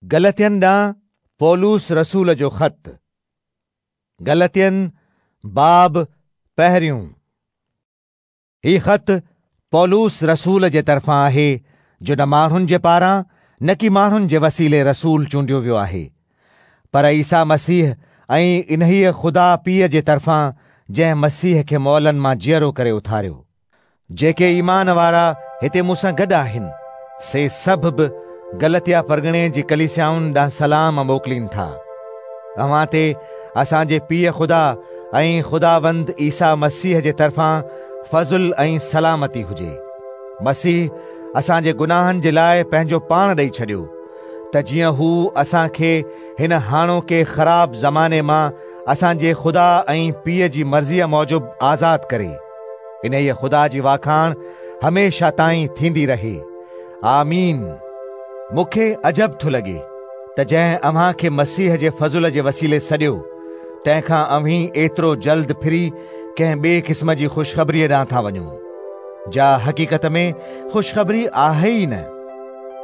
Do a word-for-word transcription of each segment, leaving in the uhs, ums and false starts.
गलतियन ॾांहुं पौलुस रसूल जो ख़त। गलतियन बाब पहिरियों। ही ख़त पौलुस रसूल जे तरफ़ां आहे, जो न माण्हुनि जे पारां न की माण्हुनि जे वसीले रसूल चूंडियो वियो आहे, पर ईसा मसीह ऐं इन्हीअ ख़ुदा पीउ जे तरफ़ां जंहिं मसीह खे मौलनि मां जीअरो करे उथारियो। जेके ईमान वारा हिते मूंसां गॾु आहिनि, से सभु बि गलतिया परगणे जी कलीसियाउनि ॾांहुं सलाम मोकिलीनि था। अव्हां ते असांजे पीउ ख़ुदा ऐं ख़ुदावंद ईसा मसीह जे तरफ़ां फज़ुल ऐं सलामती हुजे। मसीह असांजे गुनाहनि जे लाइ पंहिंजो पाण ॾेई छॾियो, त जीअं हू असांखे हिन हाणोके ख़राब ज़माने मां असांजे ख़ुदा ऐं पीउ जी मर्ज़ीअ मूजिबि आज़ाद करे। इन्हीअ ख़ुदा जी वाखाण हमेशा ताईं थींदी रहे। आमीन। मूंखे अजब थो लॻे त जंहिं अव्हां खे मसीह जे फज़ुल जे वसीले सॾियो, तंहिंखां अव्हीं एतिरो जल्द फिरी कंहिं ॿिए क़िस्म जी ख़ुशख़बरीअ ॾांहुं था वञो, जा हक़ीक़त में ख़ुशख़बरी आहे ई न,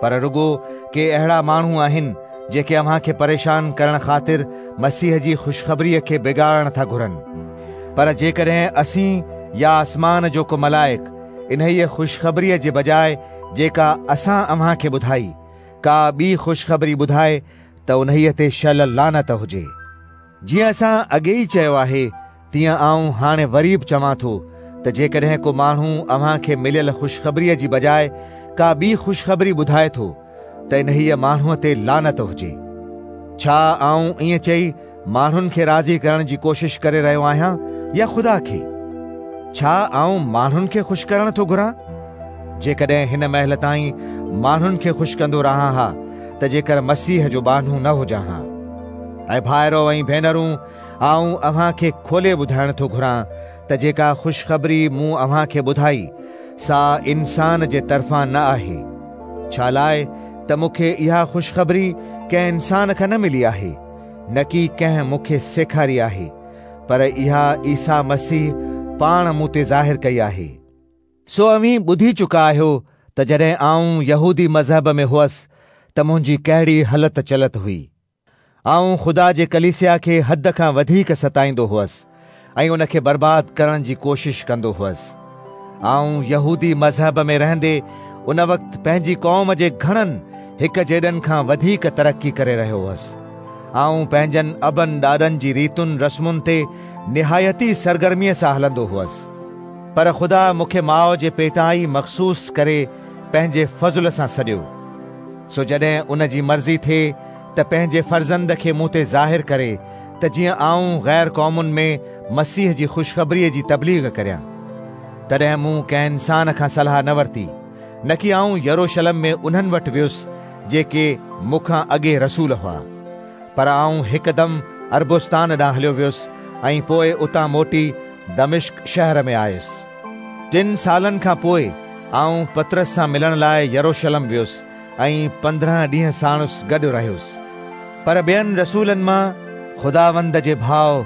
पर रुगो के अहिड़ा माण्हू आहिनि जेके अव्हां खे परेशान करण ख़ातिर मसीह जी ख़ुशख़बरीअ खे बिगाड़णु था घुरनि। पर जेकॾहिं असीं या आसमान जो को मलाइक इन्हीअ ख़ुशख़बरीअ जे बजाए जेका असां अव्हां खे ॿुधाई का ॿी ख़ुशख़बरी ॿुधाए, त उन्हीअ ते शल लानत हुजे। जीअं असां अॻे ई चयो आहे, तीअं आउं हाणे वरी बि चवां थो त जेकॾहिं को माण्हू अव्हां खे मिलियल ख़ुशख़बरीअ जी बजाए का ॿी ख़ुशख़बरी ॿुधाए थो, त इन्हीअ माण्हूअ ते लानत हुजे। छा आउं ईअं चई माण्हुनि खे राज़ी करण जी कोशिश करे रहियो आहियां या ख़ुदा खे? छा आउं माण्हुनि खे ख़ुशि करणु थो घुरां? जेकॾहिं हिन महिल ताईं माण्हुनि खे ख़ुशि कंदो रहां हा, त जेकर मसीह जो बानू न हुजां हा। ऐं भाइरो ऐं भेनरूं, आउं अव्हां खे खोले ॿुधाइणु थो घुरां त जेका ख़ुशख़बरी मूं अव्हां खे ॿुधाई, सा इंसान जे तरफ़ां न आहे। छा लाइ त मूंखे इहा ख़ुशख़बरी कंहिं इंसान खां न मिली आहे, न की कंहिं मूंखे सेखारी आहे, पर इहा ईसा मसीह पाण मूं ते ज़ाहिर कई आहे। सो अव्हीं ॿुधी चुका आहियो त जॾहिं आउं यहूदी मज़हब में हुअसि त मुंहिंजी कहिड़ी हलत चलत हुई। आउं ख़ुदा जे कलीसिया खे हद खां वधीक सताईंदो हुअसि ऐं उनखे बर्बाद करण जी कोशिश कंदो हुअसि। आउं यहूदी मज़हब में रहंदे उन वक़्तु पंहिंजी क़ौम जे घणनि हिक जेॾनि खां वधीक तरक़ी करे रहियो हुअसि। आउं पंहिंजनि अबनि ॾाॾनि जी रीतुनि रस्मुनि ते निहायती सरगर्मीअ सां हलंदो हुअसि, पर ख़ुदा मूंखे माउ जे पेटां ई मख़सूस करे पंहिंजे फज़ुल सां सॾियो। सो जॾहिं उन जी मर्ज़ी थिए त पंहिंजे फर्ज़ंद खे मूं ते ज़ाहिर करे, त जीअं आउं ग़ैर क़ौमुनि में मसीह जी ख़ुशख़बरीअ जी तबलीग करियां, तॾहिं मूं कंहिं इंसान खां सलाह न वरिती, न की आउं यरूशलेम में उन्हनि वटि वियुसि जेके मूंखां अॻे रसूल हुआ, पर आउं हिकदमि अरबुस्तान ॾांहुं हलियो वियुसि ऐं पोइ उतां मोटी दमिश्क शहर में आयुसि। टिनि सालनि खां पोइ आउं पतरस सां मिलण लाइ यरूशलेम वियुसि ऐं पंद्रहं ॾींहं साणुसि गॾु रहियुसि। पर ॿियनि रसूलनि मां ख़ुदावंद जे भाउ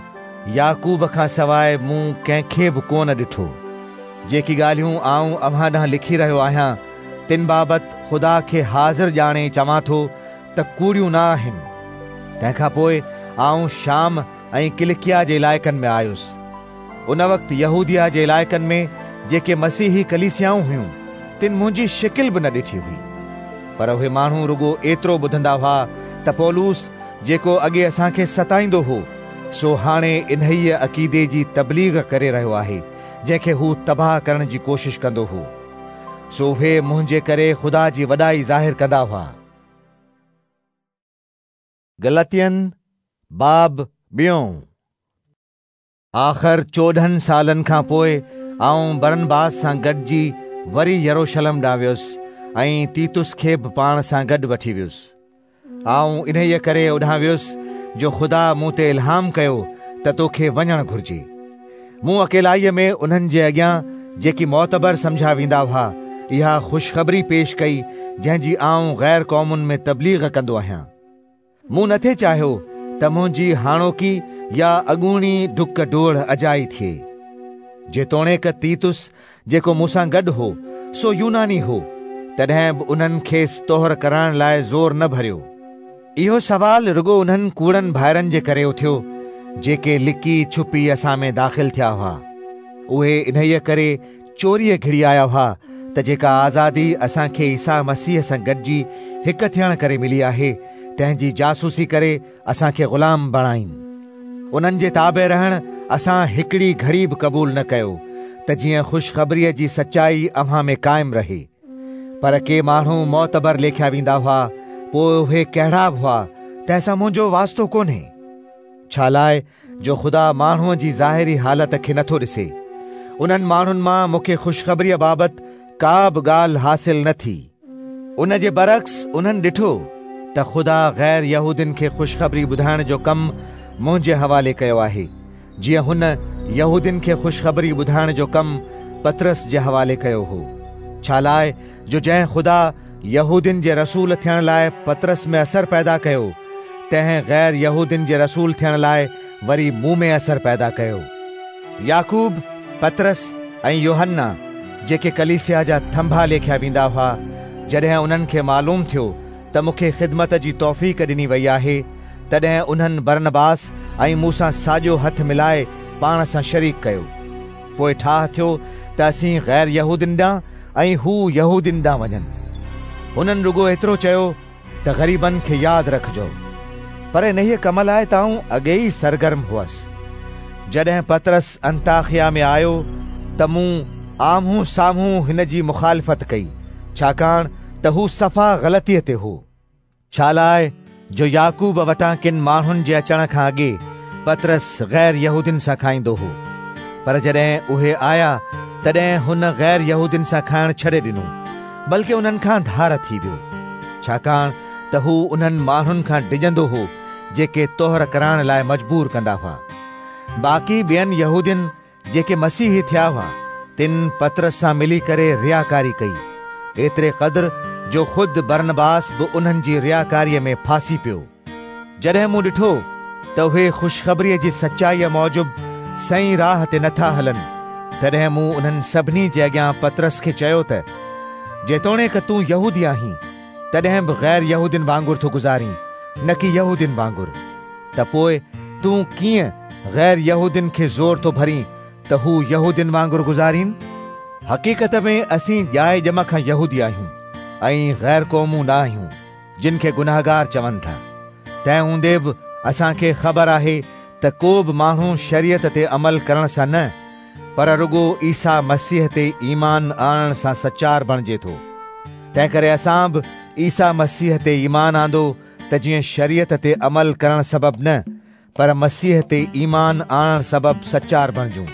याकूब खां सवाइ मूं कंहिंखे बि कोन ॾिठो। जेकी ॻाल्हियूं आउं अव्हां ॾांहुं लिखी रहियो आहियां, तिन बाबति ख़ुदा खे हाज़िर ॼाणे चवां थो त कूड़ियूं न आहिनि। तंहिंखां पोइ आउं शाम ऐं किलिकिया जे इलाइक़नि में आयुसि। उन वक़्तु यहूदिया जे इलाइक़नि में जेके मसीही कलीसियाऊं हुयूं, तिन मुंहिंजी शिकिल बि न ॾिठी हुई, पर उहे माण्हू रुगो एतिरो ॿुधंदा हुआ त पौलुस जेको अॻे असांखे सताईंदो हो, सो हाणे इन्हीअ अक़ीदे जी तबलीग करे रहियो आहे जंहिंखे हू तबाह करण जी कोशिश कंदो हो। सो उहे मुंहिंजे करे ख़ुदा जी वॾाई ज़ाहिर कंदा हुआ। गलतियन बाब ॿियों। आख़िर चोॾहनि सालनि खां पोइ आउं बरनबास सां गॾिजी वरी यरूशलेम ॾांहुं वियुसि ऐं तीतुस खे बि पाण सां गॾु वठी वियुसि। आउं इन्हीअ करे ओॾांहुं वियुसि जो ख़ुदा मूं ते इल्हाम कयो त तोखे वञणु घुरिजे। मूं अकेलाईअ में उन्हनि जे अॻियां जेकी मोतबर सम्झा वेंदा हुआ, इहा ख़ुशख़बरी पेश कई जंहिंजी आउं ग़ैर क़ौमुनि में तबलीग कंदो आहियां। मूं नथे चाहियो त मुंहिंजी हाणोकी या अॻूणी ढुक डोड़ अजाई थिए। जेतोणीक तीतुस जेको मूंसां गॾु हो, सो यूनानी हो, तॾहिं बि उन्हनि खेसि तोहर कराइण लाइ ज़ोर न भरियो। اهو سوال رڳو انهن ڪوڙن ڀائرن جي ڪري اٿيو جيڪي لڪي ڇپي اسان ۾ داخل ٿيا هئا. اهي انهيء ڪري چوريءَ گهڙي آيا هئا ته جيڪا آزادي اسان کي عيسيٰ مسيح سان گڏجي هڪ ٿيڻ ڪري ملي آهي، تنهن جي جاسوسي ڪري اسان کي غلام بڻائين. انهن جي تابع رهڻ اسان هڪڙي گهڙي به قبول نه ڪيو ته جيئن خوشخبريءَ جي سچائي اوهان ۾ قائم رهي. پر ڪي ماڻهو معتبر ليکيا ويندا هئا، پوءِ اهي ڪهڙا به هئا، تنهن سان منهنجو واسطو ڪونهي. ڇا لاءِ جو خدا ماڻهوءَ جي ظاهري حالت کي نٿو ڏسي. انهن ماڻهن مان مون کي خوشخبريءَ بابت ڪا به ڳالهه حاصل نه ٿي. ان جي برعڪس انهن ڏٺو ته خدا غير يهودين کي خوشخبري ٻڌائڻ جو ڪم منهنجي حوالي ڪيو آهي، جيئن هن يهودين کي خوشخبري ٻڌائڻ جو ڪم پطرس جي حوالي ڪيو هو. ڇا لاءِ جو جنهن خدا يهودين جي رسول ٿيڻ لاءِ پطرس ۾ اثر پيدا ڪيو، تنهن غير يهودين جي رسول ٿيڻ لاءِ وري مون ۾ اثر پيدا ڪيو. يعقوب، پطرس ۽ يوحنا جيڪي ڪليسيا جا ٿنڀا ليکيا ويندا هئا، جڏهن انهن کي معلوم ٿيو ته مون کي خدمت جي توفيق ڏني وئي آهي، تڏهن انهن برنباس ۽ مون سان ساڄو هٿ ملائي پاڻ سان شريڪ ڪيو. پوءِ ٺاهه ٿيو ته اسين غير يهودين ڏانهن ۽ هو يهودين ڏانهن وڃن. هنن رڳو ايترو چيو ته غريبن کي ياد رکجو، پر انهيءَ ڪم لاءِ ته آئون اڳي ئي سرگرم هئس. جڏهن پطرس انطاخيا ۾ آيو ته مون آمهون سامهون هن جي مخالفت ڪئي، ڇاڪاڻ ته هو صفا غلطيءَ تي هو. ڇا لاءِ جو يعقوب وٽان ڪن ماڻهن جي اچڻ کان اڳي پطرس غير يهودين سان کائيندو هو، پر جڏهن اهي آيا تڏهن هن غير يهودين سان کائڻ ڇڏي ڏنو، بلڪه انهن کان ڌار ٿي ويو، ڇاڪاڻ ته هو انهن ماڻهن کان ڊڄندو هو جيڪي طهر ڪرائڻ لاءِ مجبور ڪندا هئا. باقي ٻين يهودين جيڪي مسيحي ٿيا هئا، تن پطرس سان ملي ڪري رياڪاري ڪئي، ايتري قدر جو خود برنباس به انهن جي رياڪاريءَ ۾ ڦاسي پيو. جڏهن مون ڏٺو ته اهي خوشخبريءَ جي سچائيءَ موجب صحيح راهه تي نٿا هلن، تڏهن مون انهن سڀني جي اڳيان پطرس کي چيو ته جيتوڻيڪ تون يهودي آهين، تڏهن به غير يهودين وانگر ٿو گذارين، نه ڪي يهودين وانگر، ته پوءِ تون ڪيئن غير يهودين کي زور ٿو ڀرين ته هو يهودين وانگر گذارين؟ حقيقت ۾ اسين ڄائي ڄم کان يهودي آهيون ۽ غير قومون نه آهيون، جن کي گناهگار چون ٿا. تنهن هوندي به اسان کي خبر آهي ته ڪو به ماڻهو شريعت تي عمل ڪرڻ سان نه، پر رڳو عيسيٰ مسيح تي ايمان آڻڻ سان سچار بڻجي ٿو. تنهن ڪري اسان به عيسيٰ مسيح تي ايمان آندو ته جيئن شريعت تي عمل ڪرڻ سبب نه، پر مسيح تي ايمان آڻڻ سبب سچار بڻجون.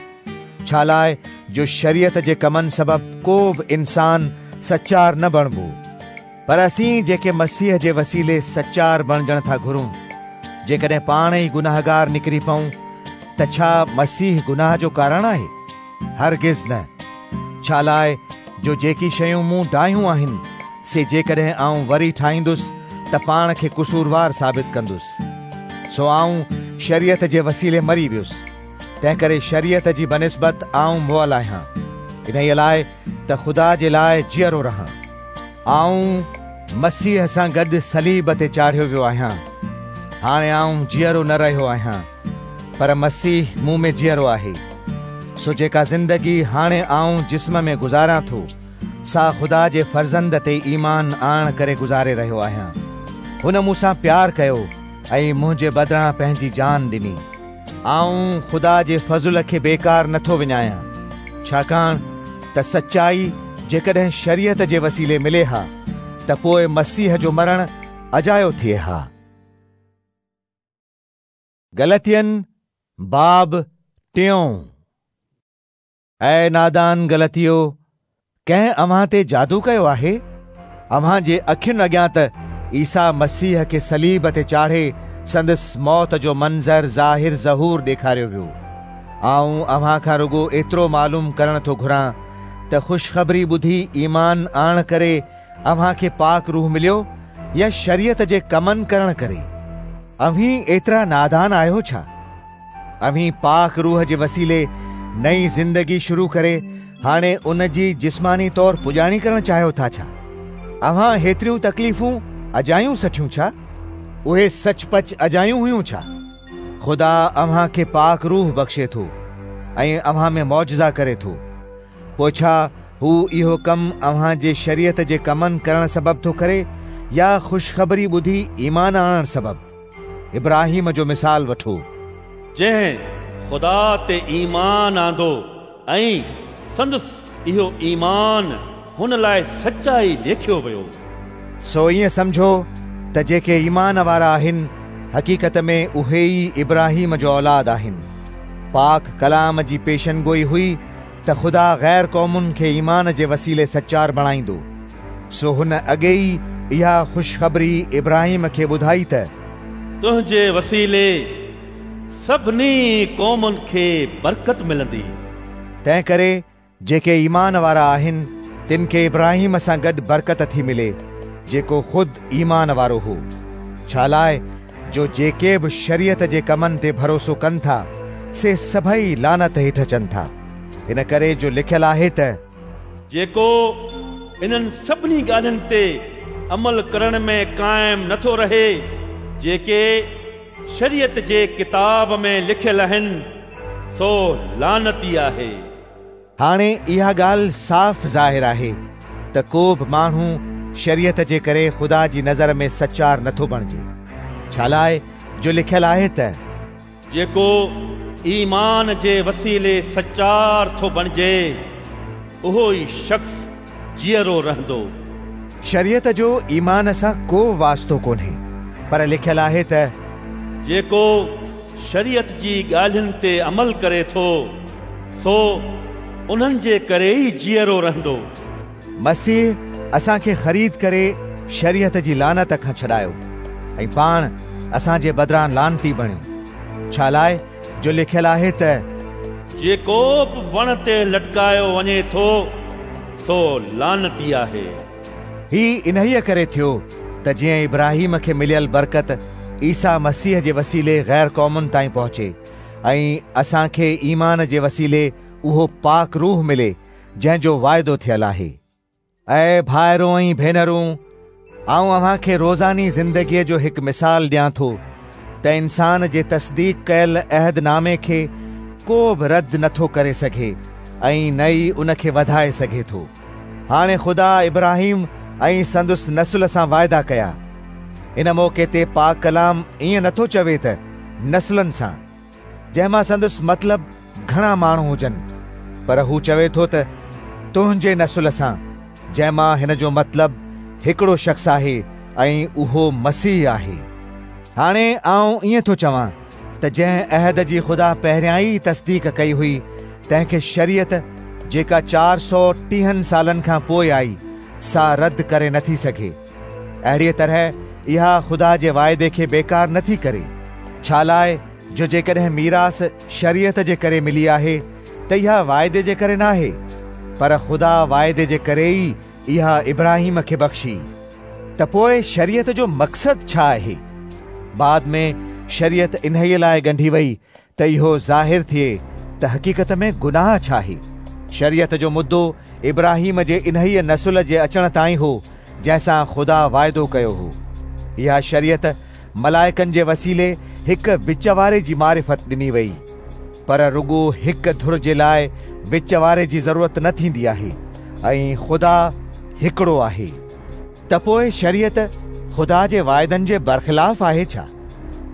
ڇا لاءِ جو شريعت جي ڪمن سبب ڪو به انسان سچار نه بڻبو، پر اسين جيڪي مسيح جي وسيلي سچار بڻجڻ ٿا گهرون، جيڪڏهن پاڻ ئي گناهگار نڪري پئون ته ڇا مسيح گناهه جو ڪارڻ آهي؟ هرگز نه. ڇا لاءِ جو جيڪي شيون مون ڊاهيون آهن، سي جيڪڏهن آئون وري ٺاهيندس ته پاڻ کي قصوروار ثابت ڪندس. سو آئون شريعت جي وسيلي مري ويس، تنهن ڪري شريعت جي بنسبت آئون مئل آهيان، انهيءَ لاءِ ته خدا جي لاءِ جيئرو رهان. آئون مسيح سان گڏ صليب تي چاڙهيو ويو آهيان. هاڻي آئون جيئرو نه رهيو آهيان، پر مسيح مون ۾ جيئرو آهي. سو جيڪا زندگي هاڻي آئون جسم ۾ گذاران ٿو، سا خدا جي فرزند تي ايمان آڻڻ ڪري گذاري رهيو آهيان. هن مون سان پيار ڪيو ۽ منهنجي بدران پنهنجي جان ڏني. آئون خدا جي فضل کي بيڪار نٿو وڃايان، ڇاڪاڻ ته سچائي جيڪڏهن شريعت جي وسيلي ملي ها ته پوءِ مسيح جو مرڻ اجايو ٿئي ها. گلتين باب ٽيون. اي نادان گلتيو، ڪنهن اوهان تي جادو ڪيو آهي؟ اوهان جي اکين اڳيان ته عيسيٰ مسيح کي صليب تي چاڙهي سندس موت جو منظر ظاهر ظهور ڏيکاريو ويو. آئون اوهان کان رڳو ايترو معلوم ڪرڻ ٿو گهران ته خوشخبري ٻڌي ايمان آڻڻ ڪري اوهان کي پاڪ روح مليو يا شريعت جي ڪمن ڪرڻ ڪري؟ اوهين ايترا نادان آهيو ڇا؟ اوهين پاڪ روح جي وسيلي نئين زندگي شروع ڪري هاڻي ان جي جسماني طور پڄاڻي ڪرڻ چاهيو ٿا ڇا؟ اوهان هيتريون تڪليفون اجايون سٺيون ڇا؟ اهي سچ پچ اجايون هيون ڇا؟ خدا اوهان کي پاڪ روح بخشي ٿو ۽ اوهان ۾ معجزا ڪري ٿو. پوءِ ڇا هو اهو ڪم اوهان جي شريعت جي ڪمن ڪرڻ سبب ٿو ڪري يا خوشخبري ٻڌي ايمان آڻڻ سبب؟ ابراهيم جو مثال وٺو، جنهن خدا تي ايمان آندو ۽ سندس اهو ايمان هن لاءِ سچائي ليکيو ويو. سو ائين سمجهو ته جيڪي ايمان وارا آهن حقيقت ۾ اهي ئي ابراهيم جو اولاد آهن. پاڪ ڪلام جي پيشن گوئي هئي ته خدا غير قومن کي ايمان جي وسيلي سچار بڻائيندو. سو هن اڳي ئي اها خوشخبري ابراهيم کي ٻڌائي ته تنهنجي وسيلي سڀني قومن کي برڪت ملندي. تنهن ڪري جيڪي ايمان وارا آهن تن کي ابراهيم سان گڏ برڪت ٿي ملي، جيڪو خود ايمان وارو هو. ڇا لاءِ جو جيڪي به شريعت جي ڪمن تي ڀروسو ڪن ٿا سي سڀئي لعنت هيٺ اچن ٿا. ان ڪري جو لکيل آهي ته جيڪو انهن سڀني ڳالهين تي عمل ڪرڻ ۾ قائم نٿو رهي جيڪي شريعت جي ڪتاب ۾ لکيل آهن، سو لعنتي آهي. هاڻي اها ڳالهه صاف ظاهر آهي ته ڪو به ماڻهو شريعت جي ڪري خدا جي نظر ۾ سچار نٿو بڻجي. ڇا لاءِ جو لکيل آهي ته جيڪو ايمان جي وسيلي سچار ٿو بڻجي اهو ئي شخص جيئرو رهندو. شريعت جو ايمان سان ڪو واسطو ڪونهي، پر لکيل آهي ته جيڪو شريعت جي ڳالهين تي عمل ڪري ٿو سو انهن جي ڪري ئي جيئرو رهندو. مسيح اسان کي خريد ڪري شريعت جي لعنت کان ڇڏايو ۽ پاڻ اسان جي بدران لعنتي بڻيو. ڇا لاءِ جو لکيل آهي ته جيڪو به وڻ تي لٽڪايو وڃي ٿو سو لعنتي آهي. هي انهيءَ ڪري ٿيو ته جيئن ابراهيم کي مليل برڪت عيسيٰ مسيح جي وسيلي غير قومن تائين پهچي ۽ اسان کي ايمان جي وسيلي اهو پاڪ روح ملي جنهن جو واعدو ٿيل آهي. ऐं भाइरो ऐं भेनरूं, आउं अव्हां खे रोज़ानी ज़िंदगीअ जो हिकु मिसाल ॾियां थो त इंसान जे तस्दीक कयल अहदनामे खे को बि रद्द नथो करे सघे ऐं न ई उन खे वधाए सघे थो। हाणे ख़ुदा इब्राहिम ऐं संदुसि नस्ल सां वाइदा कया। इन मौक़े ते पाक कलाम ईअं नथो चवे त नस्लनि सां, जंहिं मां संदुसि मतिलबु घणा माण्हू हुजनि, पर हू चवे थो त तुंहिंजे नस्ल सां, जंहिं मां हिन जो मतिलबु हिकिड़ो शख़्स आहे ऐं उहो मसीह आहे। हाणे आउं ईअं थो चवां त जंहिं अहद जी ख़ुदा पहिरियां ई तस्दीक कई हुई तंहिंखे शरीयत जेका चारि सौ टीहनि सालनि खां पोइ आई सा रद्द करे नथी सघे। अहिड़ीअ तरह इहा ख़ुदा जे वाइदे खे बेकार नथी करे। छा लाइ जो जेकॾहिं मीरास शरीयत जे करे मिली आहे त इहा वाइदे जे करे नाहे, पर ख़ुदा वाइदे जे करे ई इहा इब्राहिम खे बख़्शी। त पोइ शरीयत जो मक़सदु छा आहे? बाद में शरीयत इन्हीअ लाइ ॻंढी वई त इहो ज़ाहिर थिए त हक़ीक़त में गुनाह छा आहे। शरीयत जो मुद्दो इब्राहिम जे इन्हीअ नस्ल जे अचण ताईं हो जंहिंसां ख़ुदा वाइदो कयो हो। इहा शरीयत मलाइकनि जे वसीले हिकु विच वारे जी मारिफ़त ॾिनी वई, पर रुगो हिकु धुर जे लाइ विच वारे जी ज़रूरत न थींदी आहे ऐं ख़ुदा हिकिड़ो आहे। त पोइ शरीयत ख़ुदा जे वाइदनि जे बरख़िलाफ़ आहे छा?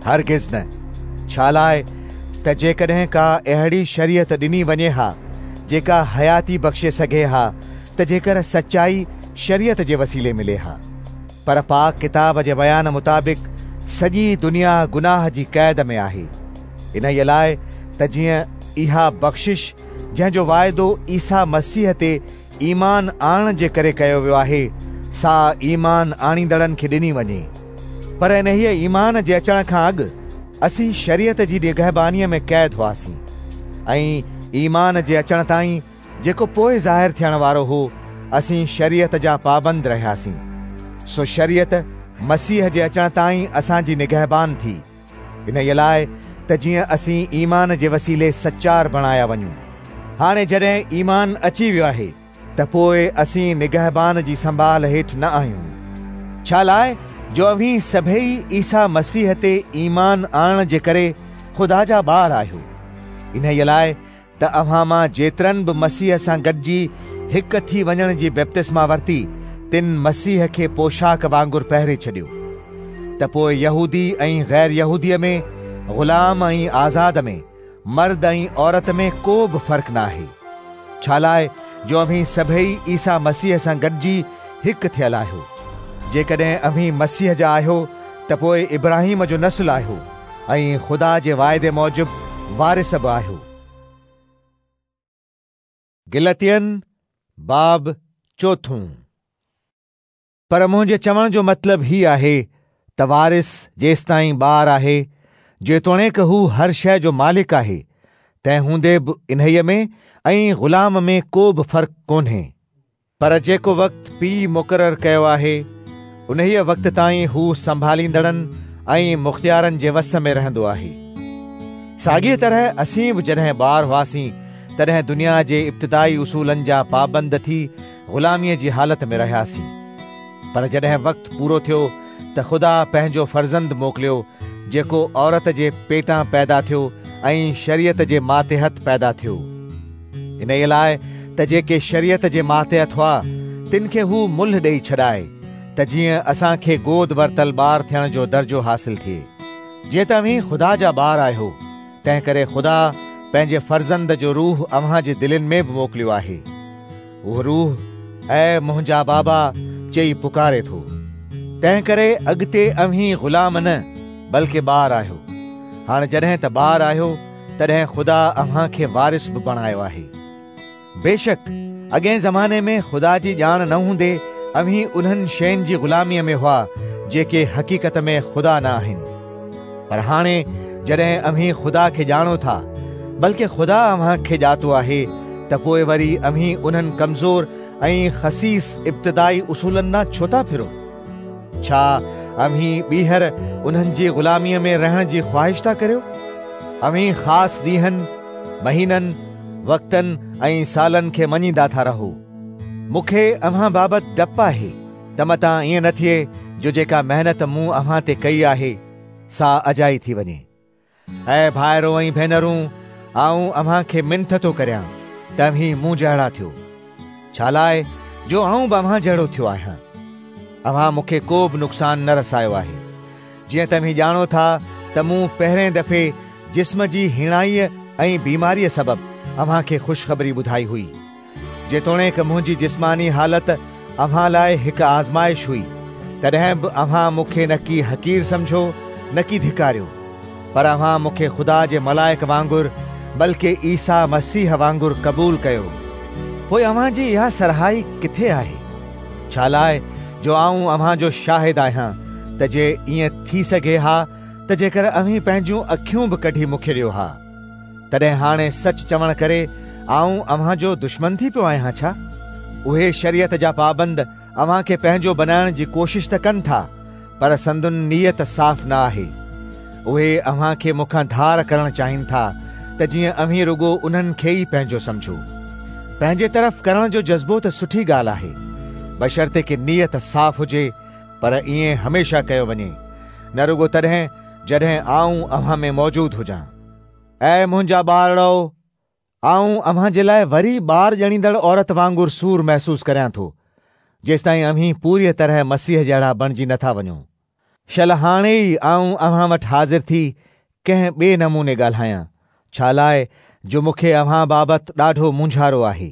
हरगिज़ न। छा लाइ त जेकॾहिं का अहिड़ी शरीयत ॾिनी वञे हा जेका हयाती बख़्शे सघे हा त जेकर सचाई शरीयत जे वसीले मिले हा। पर पाक किताब जे बयान मुताबिक़ सॼी दुनिया गुनाह जी क़ैद में आहे। इन लाइ त जीअं इहा बख़्शिश जंहिंजो वाइदो ईसा मसीह ते ईमान आणण जे करे कयो वियो आहे सा ईमान आणींदड़नि खे ॾिनी वञे। पर इन्हीअ ईमान जे अचण खां अॻु असीं शरीयत जी निगहबानीअ में क़ैद हुआसीं ऐं ईमान जे अचण ताईं जेको पोइ ज़ाहिर थियण वारो हो असीं शरीयत जा पाबंद रहियासीं। सो शरीयत मसीह जे अचण ताईं असांजी निगहबान थी, इन लाइ त जीअं असीं ईमान जे वसीले सचार बणाया वञूं। हाणे जॾहिं ईमान अची वियो आहे त पोइ असीं निगहबान जी संभाल हेठि न आहियूं। छा लाइ جو اوهين سڀيئي عيسيٰ مسيح تي ايمان آڻڻ جي ڪري خدا جا ٻار آهيو. انهيء لاءِ ته اوهان مان جيترن به مسيح سان گڏجي هڪ ٿي وڃڻ جي بپتسما ورتي، تن مسيح کي پوشاڪ وانگر پهري ڇڏيو. ته پوءِ يهودي ۽ غير يهوديء ۾، غلام ۽ آزاد ۾، مرد ۽ عورت ۾ ڪو به فرق نه آهي، ڇا لاءِ جو اوهين سڀيئي عيسيٰ مسيح سان گڏجي هڪ ٿيل آهيو. جيڪڏهن اوهين مسيح جا آهيو ته پوءِ ابراهيم جو نسل آهيو ۽ خدا جي واعدي موجب وارث به آهيو. گلتين باب چوٿون. پر منهنجي چوڻ جو مطلب هي آهي ته وارث جيستائين ٻار آهي، جيتوڻيڪ هو هر شيءِ جو مالڪ آهي، تنهن هوندي به انهيءَ ۾ ۽ غلام ۾ ڪو به فرق ڪونهي. پر جيڪو وقت پيءُ مقرر ڪيو آهي، انهيءَ وقت تائين هو سنڀاليندڙن ۽ مختيارن جي وس ۾ رهندو آهي. ساڳيءَ طرح اسين به جڏهن ٻار هئاسين، تڏهن دنيا جي ابتدائي اصولن جا پابند ٿي غلاميءَ جي حالت ۾ رهياسين. پر جڏهن وقت پورو ٿيو ته خدا پنهنجو فرزند موڪليو، جيڪو عورت جي پيٽان پيدا ٿيو ۽ شريعت جي ماتحت پيدا ٿيو. انهيءَ لاءِ ته جيڪي شريعت جي ماتحت هئا، تن کي هو ملهه ڏيئي ڇڏائي، ته جيئن اسان کي گود ورتل ٻار ٿيڻ جو درجو حاصل ٿئي. جيئن ته اوهين خدا جا ٻار آهيو، تنهن ڪري خدا پنهنجي فرزند جو روح اوهان جي دلين ۾ به موڪليو آهي. اهو روح اي منهنجا بابا چئي پڪاري ٿو. تنهن ڪري اڳتي اوهين غلام نه بلڪه ٻار آهيو. هاڻي جڏهن ته ٻار آهيو، تڏهن خدا اوهان کي وارث به بڻايو آهي. بيشڪ اڳئين زماني ۾ خدا جي ڄاڻ نه هوندي اوهين انهن شين جي غلاميءَ ۾ هئا جيڪي حقيقت ۾ خدا نه آهن. پر هاڻي جڏهن اوهين خدا کي ڄاڻو ٿا، بلڪه خدا اوهان کي ڄاتو آهي، ته پوءِ وري اوهين انهن ڪمزور ۽ خسيس ابتدائي اصولن ڏانهن ڇو ٿا ڦرو؟ ڇا اوهين ٻيهر انهن جي غلاميءَ ۾ رهڻ جي خواهش ٿا ڪريو؟ اوهين خاص ڏينهن، مهينن، وقتن ۽ سالن کي مڃيندا ٿا رهو. مون کي اوهان بابت ڊپ آهي ته متان ائين نه ٿئي جو جيڪا محنت مون اوهان تي ڪئي آهي سا اجائي ٿي وڃي. اي ڀائرو ۽ ڀينرون، آئون اوهان کي منٿ ٿو ڪريان ته اوهين مون جهڙا ٿيو، ڇا لاءِ جو آئون به اوهان جهڙو ٿيو آهيان. اوهان مون کي ڪو به نقصان نه رسايو آهي. جيئن ته اوهين ڄاڻو ٿا ته مون پهرين دفعي جسم جي هيڻائيءَ ۽ بيماريءَ سبب اوهان کي خوشخبري ٻڌائي هئي. جيتوڻيڪ منهنجي جسماني حالت اوهان لاءِ هڪ آزمائش هئي، تڏهن به اوهان مون کي نه ڪي حقير سمجهو نه ڪي ڌڪاريو، پر اوهان مون کي خدا جي ملائڪ وانگر بلڪه عيسيٰ مسيح وانگر قبول ڪيو. پوءِ اوهان جي اها سرهائي ڪٿي آهي؟ ڇا لاءِ جو آئون اوهان جو شاهد آهيان ته جي ائين ٿي سگهي ها ته جيڪر اوهين پنهنجون اکيون به ڪڍي مون کي ڏيو ها. تڏهن هاڻي سچ چوڻ ڪري آئون اوهان جو دشمن ٿي پيو آهيان ڇا؟ اهي شريعت جا پابند اوهان کي پنهنجو بنائڻ جي ڪوشش ته ڪن ٿا، پر سندن نيت صاف نه آهي. اهي اوهان کي مون کان ڌار ڪرڻ چاهين ٿا ته جيئن اوهين رڳو انهن کي ئي پنهنجو سمجهو. پنهنجي طرف ڪرڻ جو جذبو ته سٺي ڳالهه آهي، بشرطي ڪه نيت صاف هجي، پر ائين هميشه ڪيو وڃي، نه رڳو تڏهن جڏهن آئون اوهان ۾ موجود هجان. اي منهنجا ٻارڙو، آئون اوهان جي لاءِ وري ٻار ڄڻيندڙ عورت وانگر سور محسوس ڪريان ٿو، جيستائين اوهين پوريءَ طرح مسيح جهڙا بڻجي نٿا وڃو. شل هاڻي ئي آئون اوهان وٽ حاضر ٿي ڪنهن ٻئي نموني ڳالهايان، ڇا لاءِ جو مون کي اوهان بابت ڏاڍو مونجهارو آهي.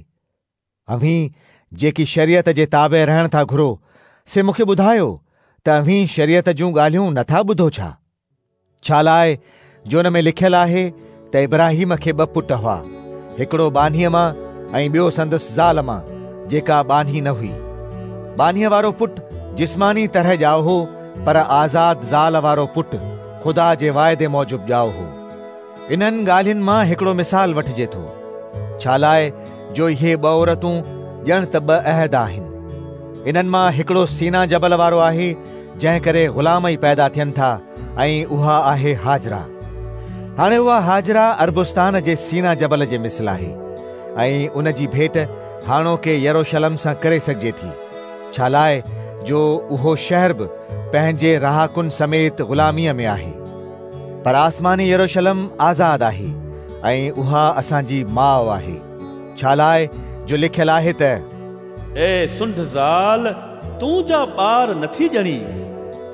اوهين جيڪي شريعت جي تابع رهڻ ٿا گهرو، سي مون کي ٻڌايو ته اوهين شريعت جون ڳالهيون نٿا ٻڌو ڇا؟ ڇا لاءِ جو ان ۾ لکيل آهي ته ابراهيم کي ٻه پٽ هئا، هڪڙو ٻانهيءَ مان ۽ ٻيو سندس زال مان، جيڪا ٻانهي نه هئي. ٻانهيءَ وارو پٽ جسماني طرح ڄائو هو، پر آزاد زال وارو پٽ خدا جي واعدي موجب ڄائو هو. انهن ڳالهين مان هڪڙو مثال وٺجي ٿو، ڇا لاءِ جو اهي ٻه عورتون ڄڻ ته ٻه عهد آهن. انهن مان هڪڙو سينا جبل وارو آهي، جنهن ڪري غلام ئي پيدا ٿين ٿا، ۽ اها آهي هاجره. هاڻي اها هاجره اربستان جي سينا جبل جي مثل آهي، ۽ ان جي ڀيٽ هاڻوڪي يروشلم سان ڪري سگهجي ٿي، ڇا لاءِ جو اهو شهر به پنهنجي رهاڪن سميت غلاميء ۾ آهي. پر آسماني يروشلم آزاد آهي ۽ اها اسان جي ماءُ آهي. ڇا لاءِ جو لکيل آهي ته اي سنڍ زال، تون جا ٻار نٿي ڄڻي،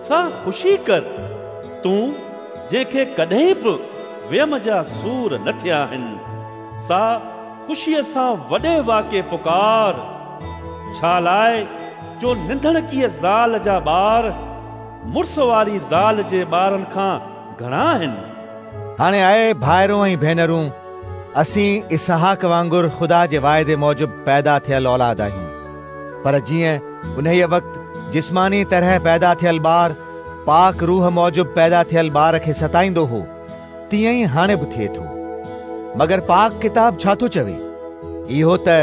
سا خوشي ڪر، تون جنهن کي ڪڏهن به ويم جا سور نه ٿيا آهن، سا خوشيءَ سان وڏي واڪي پڪار. ڇا لاءِ جو ننڌڻڪيءَ زال جا ٻار مڙس واري زال جي ٻارن کان گهڻا آهن. هاڻي اي ڀائرو ۽ ڀينرون، اسين اسحاق وانگر خدا جي واعدي موجب پيدا ٿيل اولاد آهيون. پر جيئن انهيءَ وقت جسماني طرح پيدا ٿيل ٻار پاڪ روح موجب پيدا ٿيل ٻار کي ستائيندو هو، تيئن ئي هاڻي به ٿئي ٿو. مگر پاڪ ڪتاب ڇا ٿو چوي؟ اهو ته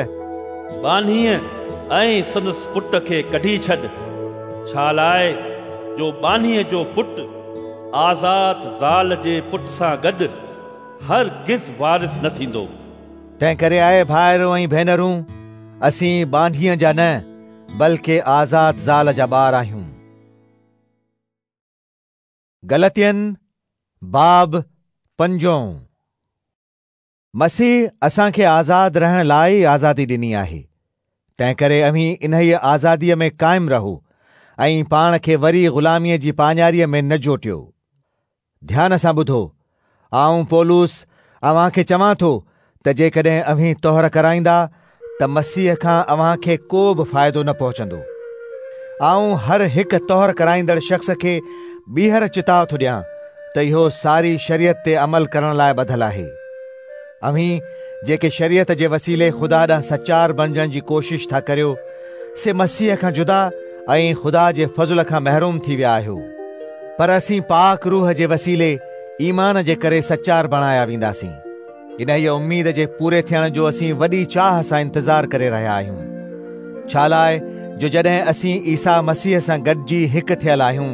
ٻانهيءَ ۽ سندس پٽ کي ڪڍي ڇڏ، ڇا لاءِ جو ٻانهيءَ جو پٽ آزاد زال جي پٽ سان گڏ هرگز وارث نه ٿيندو. تنهن ڪري اي ڀائرو ۽ ڀينرون، اسين ٻانهيءَ جا نه بلڪه آزاد زال جا ٻار آهيون. گلتين باب پنجون. مسيح اسان کي آزاد رهڻ لاءِ ئي آزادي ڏني آهي. تنهن ڪري اوهين انهيءَ آزاديءَ ۾ قائم رهو ۽ پاڻ کي وري غلاميءَ جي پاڃاريءَ ۾ نه جوٽيو. ڌيان سان ٻڌو، آئون پولس اوهان کي چوان ٿو ته جيڪڏهن اوهين طهر ڪرائيندا ته مسيح کان اوهان کي ڪو به فائدو نه پهچندو. آئون هر هڪ طهر ڪرائيندڙ شخص کي ٻيهر چتاءُ ٿو ڏيان ته اهو ساري شريعت تي عمل ڪرڻ لاءِ ٻڌل آهي. اوهين جيڪي شريعت جي وسيلي خدا ڏانهن سچار بڻجڻ جي ڪوشش ٿا ڪريو، سي مسيح کان جدا ۽ خدا جي فضل کان محروم ٿي ويا آهيو. پر اسين پاڪ روح جي وسيلي ايمان جي ڪري سچار بڻايا وينداسين. انهيءَ اميد جي پوري ٿيڻ جو اسين وڏي چاهه سان انتظار ڪري رهيا آهيون. ڇا لاءِ جو جڏهن اسين عيسيٰ مسيح سان گڏجي هڪ ٿيل آهيون،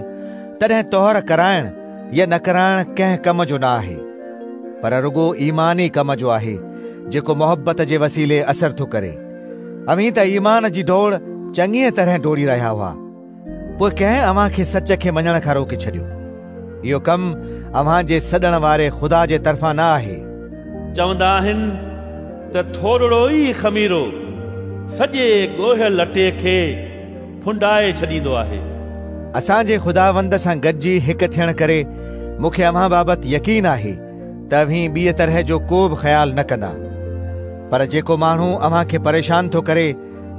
تڏهن طهر ڪرائڻ يا نه ڪرائڻ ڪنهن ڪم جو نه آهي، پر رڳو ايمان ئي ڪم جو آهي جيڪو محبت جي وسيلي اثر ٿو ڪري. اوهين ته ايمان جي ڊوڙ چڱيءَ طرح ڊوڙي رهيا هئا، پوءِ ڪنهن اوهان کي سچ کي مڃڻ کان روڪي ڇڏيو؟ اهو ڪم اوهان جي سڏڻ واري خدا جي طرفان نه آهي. چوندا آهن ته ٿورڙو ئي خميرو سڄي ڳوهيل اٽي کي ڦنڊائي ڇڏيندو آهي. اسان جي خداوند سان گڏجي هڪ ٿيڻ ڪري مون کي اوهان بابت يقين آهي ته اوهين ٻيءَ طرح جو ڪو به خيال نه ڪندا. پر جيڪو ماڻهو اوهان کي پريشان ٿو ڪري،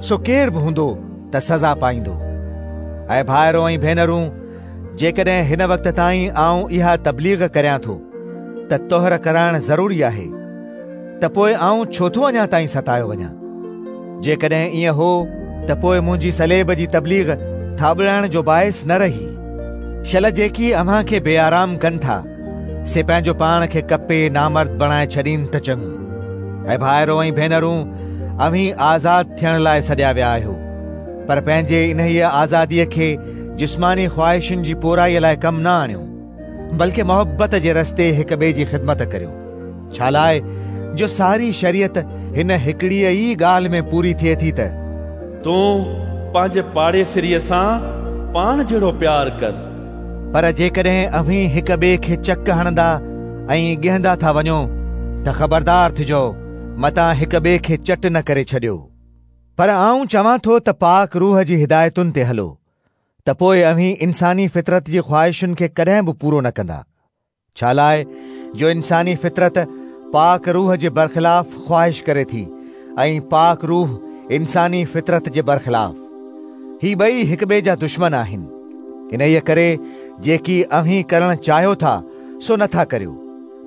سو ڪير به هوندو ته سزا پائيندو. ۽ ڀائرو ۽ ڀينرون، جيڪڏهن هن وقت تائين آئون اها تبليغ ڪريان ٿو ته طهر ڪرائڻ ضروري آهي، ته پوءِ آئون ڇو ٿو اڃا تائين ستايو وڃان؟ جيڪڏهن ائين هو ته پوءِ منهنجي صليب جي تبليغ ٿاٻڙائڻ جو باعث نه رهي. شل جيڪي اوهان کي بي آرام ڪن ٿا، سي پنهنجو پاڻ کي ڪپي نامرد بڻائي ڇڏين ته چڱو. ۽ ڀائرو ۽ ڀينرون، اوهين آزاد ٿيڻ لاءِ سڏيا ويا آهيو، پر پنهنجي انهيءَ آزاديءَ کي جسماني خواهشن جي پورائيءَ لاءِ ڪم نه آڻيو، بلڪه محبت جي رستي هڪ ٻئي جي خدمت ڪريو. ڇا لاءِ جو ساري شريعت هن هڪڙيءَ ئي ڳالهه ۾ پوري ٿئي ٿي ته تون پنهنجي پاڙيسريءَ سان پاڻ جهڙو پيار ڪر. پر جيڪڏهن اوهين هڪ ٻئي کي چڪ هڻندا ۽ ڳهندا ٿا وڃو ته خبردار ٿجو، متان هڪ ٻئي کي چٽ نه ڪري ڇڏيو. پر آئون چوان ٿو ته پاڪ روح جي هدايتن تي هلو، ته پوءِ اوهين انساني فطرت جي خواهشن کي ڪڏهن به پورو نه ڪندا. ڇا لاءِ جو انساني فطرت پاڪ روح جي برخلاف خواهش ڪري ٿي ۽ پاڪ روح انساني فطرت جي برخلاف. هي ٻئي هڪ ٻئي جا دشمن آهن. انهيءَ ڪري جيڪي اوهين ڪرڻ چاهيو ٿا سو نٿا ڪريو.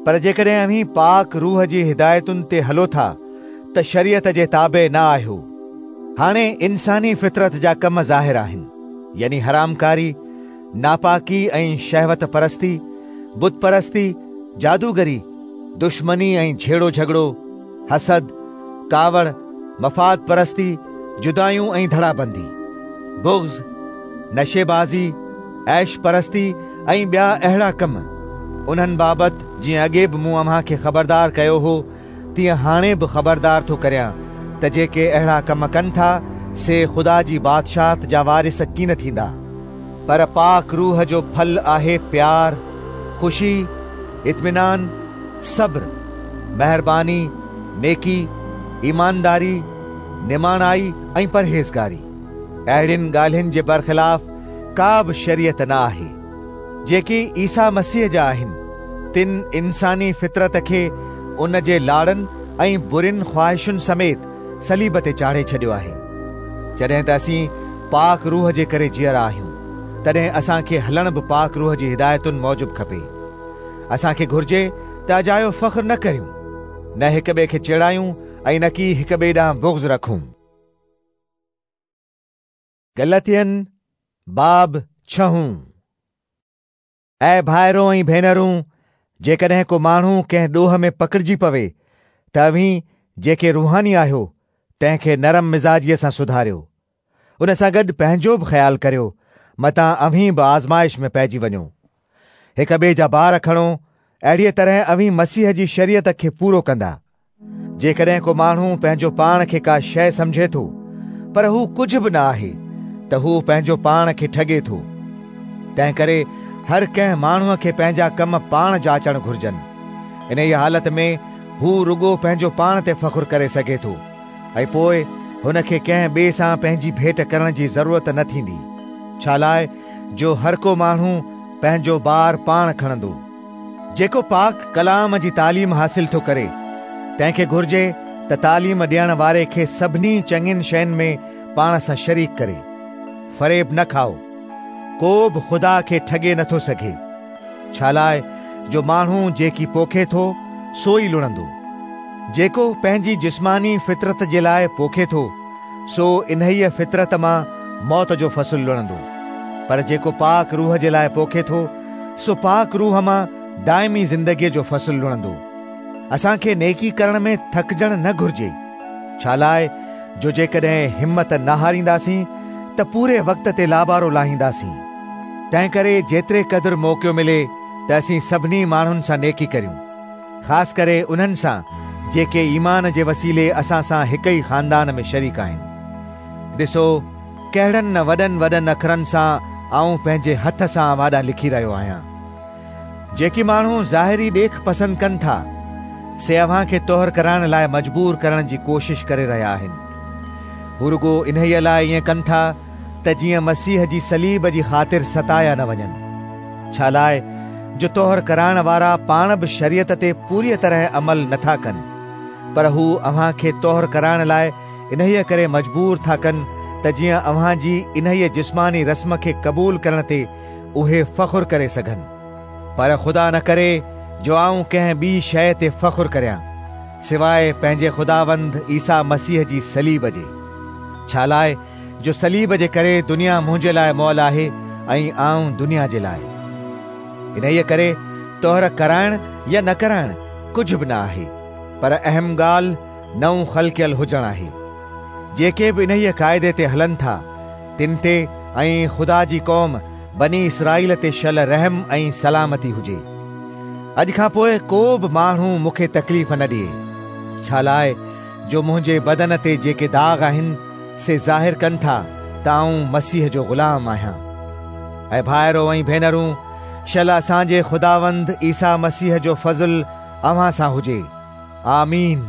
پر جيڪڏهن اوهين پاڪ روح جي هدايتن تي هلو ٿا ته شريعت جي تابع نه آهيو. هاڻي انساني فطرت جا ڪم ظاهر آهن، يعني حرامڪاري، ناپاڪي ۽ شهوت پرستي، بت پرستي، جادوگري، دشمني ۽ جهيڙو جهڳڙو، حسد، ڪاوڙ، مفاد پرستي، جدايون ۽ ڌڙابندي، بغض، نشيبازي، عيش پرستي ۽ ٻيا اهڙا ڪم. انهن بابت جيئن اڳي به مون اوهان کي خبردار ڪيو هو، تيئن هاڻي به خبردار ٿو ڪريان ته جيڪي اهڙا ڪم ڪن ٿا سي خدا جي بادشاهت جا وارث ڪين ٿيندا. پر پاڪ روح جو ڦل آهي پيار، خوشي، اطمينان، صبر، مهرباني، نيڪي، ايمانداري، نماڻائي ۽ پرهيزگاري. اهڙين ڳالهين جي برخلاف ڪا به شريعت نه آهي. جيڪي عيسيٰ مسيح جا آهن، تن انساني فطرت کي ان جي لاڙن ۽ برين خواهشن سميت صليب تي چاڙهي ڇڏيو آهي. جڏهن ته اسين پاڪ روح جي ڪري جيئرا آهيون، تڏهن اسان کي هلڻ به پاڪ روح جي هدايتن موجب کپي. اسان کي گهرجي ته اجايو فخر نه ڪريون، نه هڪ ٻئي کي چيڙايون ۽ نه ڪي هڪ ٻئي ڏانهن بغض رکون. گلتين باب ڇهون. اي ڀائرو ۽ ڀينرون، جيڪڏهن ڪو ماڻهو ڪنهن ڏوهه ۾ پڪڙجي پوي ته اوهين جيڪي روحاني آهيو تنهن کي نرم مزاجيءَ سان سڌاريو. ان سان گڏ پنهنجو به خيال ڪريو، متان اوهين به آزمائش ۾ پئجي وڃو. هڪ ٻئي جا بار کڻو، اهڙيءَ طرح اوهين مسيح جي شريعت کي پورو ڪندا. جيڪڏهن ڪو ماڻهو پنهنجو پاڻ کي ڪا شيءِ سمجهي ٿو، پر هو ڪجهه به نه آهي، ته هو پنهنجو پاڻ کي ٺڳي ٿو. تنهن ڪري هر ڪنهن ماڻهوءَ کي پنهنجا ڪم پاڻ جاچڻ گهرجن. انهيءَ حالت ۾ هو رڳو پنهنجو پاڻ تي فخر ڪري سگهي ٿو ۽ پوءِ هن کي ڪنهن ٻئي سان پنهنجي ڀيٽ ڪرڻ جي ضرورت نه ٿيندي، ڇا لاءِ جو هر ڪو ماڻهو پنهنجو بار پاڻ کڻندو. جيڪو پاڪ ڪلام جي تعليم حاصل ٿو ڪري، تنهن کي گهرجي ته تعليم ڏيڻ واري کي سڀني چڱين شين ۾ پاڻ سان شريڪ ڪري. فريب نه کائو، ڪو به خدا کي ٺڳي نٿو سگهي، ڇا لاءِ جو ماڻهو جيڪي پوکي ٿو سو ئي لڻندو. جيڪو پنهنجي جسماني فطرت جي لاءِ پوکي ٿو، سو انهيءَ فطرت مان موت جو فصل لڻندو، پر جيڪو پاڪ روح جي لاءِ پوکي ٿو، سو پاڪ روح مان دائمي زندگيءَ جو فصل لڻندو. اسان کي نيڪي ڪرڻ ۾ ٿڪجڻ نه گهرجي، ڇا لاءِ جو جيڪڏهن همت نه هارينداسين ته پوري وقت تي لابارو لاهينداسين. تنهن ڪري جيتري قدر موقعو ملي ته اسين سڀني ماڻهن سان نيڪي ڪريون، خاص ڪري انهن سان جيڪي ايمان جي وسيلي اسان سان هڪ ئي خاندان ۾ شريڪ آهن. ڏسو ڪهڙن نه وڏن وڏن اکرن سان آئون پنهنجي هٿ سان اوهان ڏانهن لکي رهيو آهيان. جيڪي ماڻهو ظاهري ڏيک پسند ڪن ٿا، سي اوهان کي طهر ڪرائڻ لاءِ مجبور ڪرڻ جي ڪوشش ڪري رهيا آهن. هو رڳو انهيءَ لاءِ ائين ڪن ٿا ته جيئن مسيح جي صليب جي خاطر ستايا نه وڃن، ڇا لاءِ جو طهر ڪرائڻ وارا پاڻ به شريعت تي پوريءَ طرح عمل نٿا ڪن، پر هو اوهان کي طهر ڪرائڻ لاءِ انهيءَ ڪري مجبور ٿا ڪن ته جيئن اوهان جي انهيءَ جسماني رسم کي قبول ڪرڻ تي اهي فخر ڪري سگهن. پر خدا نه ڪري جو آئون ڪنهن ٻي شيءِ تي فخر ڪريان سواءِ پنهنجي خداوند عيسيٰ مسيح جي صليب جي، ڇا لاءِ جو صليب جي ڪري دنيا منهنجي لاءِ مئل آهي ۽ آئون دنيا جي لاءِ. انهيءَ ڪري طهر ڪرائڻ يا نه ڪرائڻ ڪجهه به نه آهي، پر اهم ڳالهه نئون خلقيل هجڻ آهي. جيڪي به انهيءَ قاعدي تي هلن ٿا، تن تي ۽ خدا جي قوم بني اسرائيل تي شل رحم ۽ سلامتي هجي. اڄ کان پوءِ ڪو به ماڻهو مون کي تڪليف نه ڏئي، ڇا لاءِ جو منهنجي بدن تي جيڪي داغ آهن سي ظاهر ڪن ٿا ته آئون مسيح جو غلام آهيان. ۽ ڀائرو ۽ ڀينرون، شل اسان جي خداوند عيسيٰ مسيح جو فضل اوهان سان هجي. آمين.